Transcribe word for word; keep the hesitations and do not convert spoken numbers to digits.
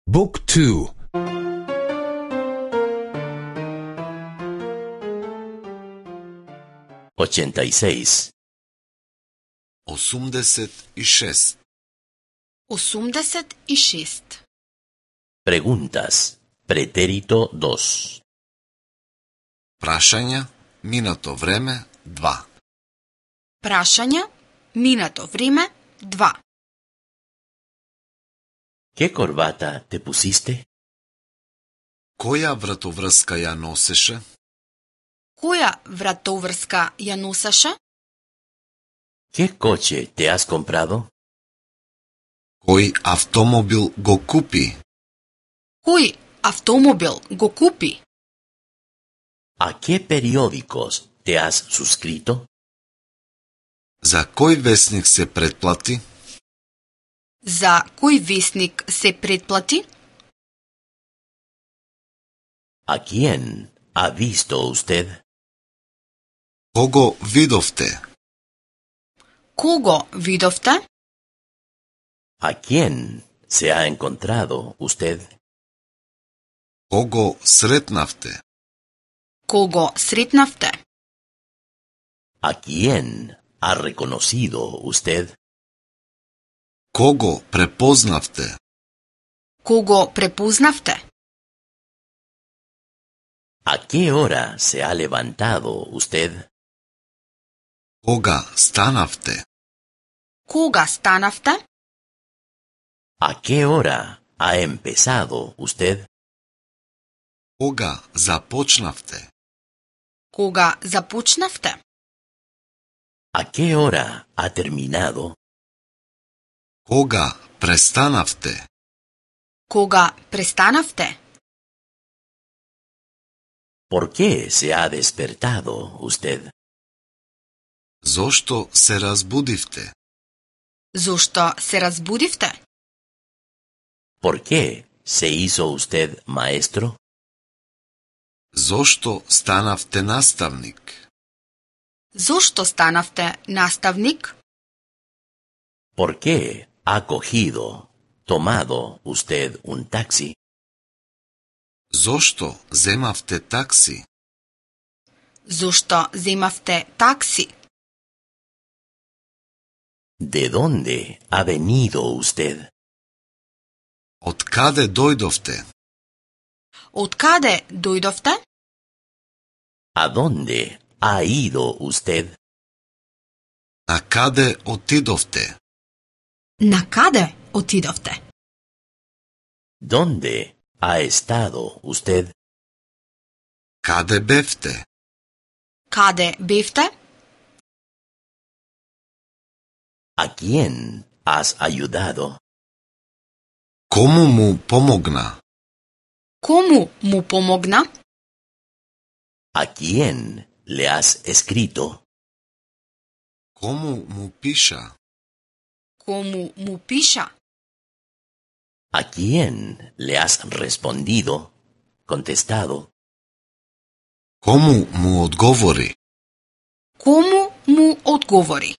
Book two. ochenta y seis. осумдесет и шест. осумдесет и шест. Preguntas. Pretérito dos. Прашања, минато време, два. Прашања, минато време, два. ¿Qué corbata te pusiste? Која вратоврска ја носеше? Која вратоврска ја носеше? ¿Qué coche te has comprado? Кој автомобил го купи? Кој автомобил го купи? ¿A qué periódicos te has suscrito? За кој весник се претплати? За кој весник се претплати? ¿A quién ha visto usted? Кого видовте? Кого видовте? ¿A quién se ha encontrado usted? Кого сретнавте? Кого сретнавте? ¿A quién ha reconocido usted? Кого препознавте? Кого препознавте? ¿A qué hora se ha levantado usted? Кога станавте? Кога станавте? ¿A qué hora ha empezado usted? Кога започнавте? Кога започнавте? ¿A qué hora ha terminado? Кога престанавте? Кога престанавте? ¿Por qué se ha despertado usted? Зошто се разбудивте? Зошто се разбудивте? ¿Por qué se hizo usted maestro? Зошто станавте наставник? Зошто станавте наставник? ¿Por qué ha cogido, tomado usted un taxi? Зошто земавте такси? Зошто земавте такси? ¿De dónde ha venido usted? Од каде дојдовте? Од каде дојдовте? ¿A dónde ha ido usted? На каде отидовте? На каде отидовте? ¿Dónde ha estado usted? Каде бевте? Каде бевте? ¿A quién has ayudado? Кому му помогна? Кому му помогна? ¿A quién le has escrito? Кому му пиша? Кому му пиша? ¿A quién le has respondido, contestado? Кому му одговори? Кому му одговори?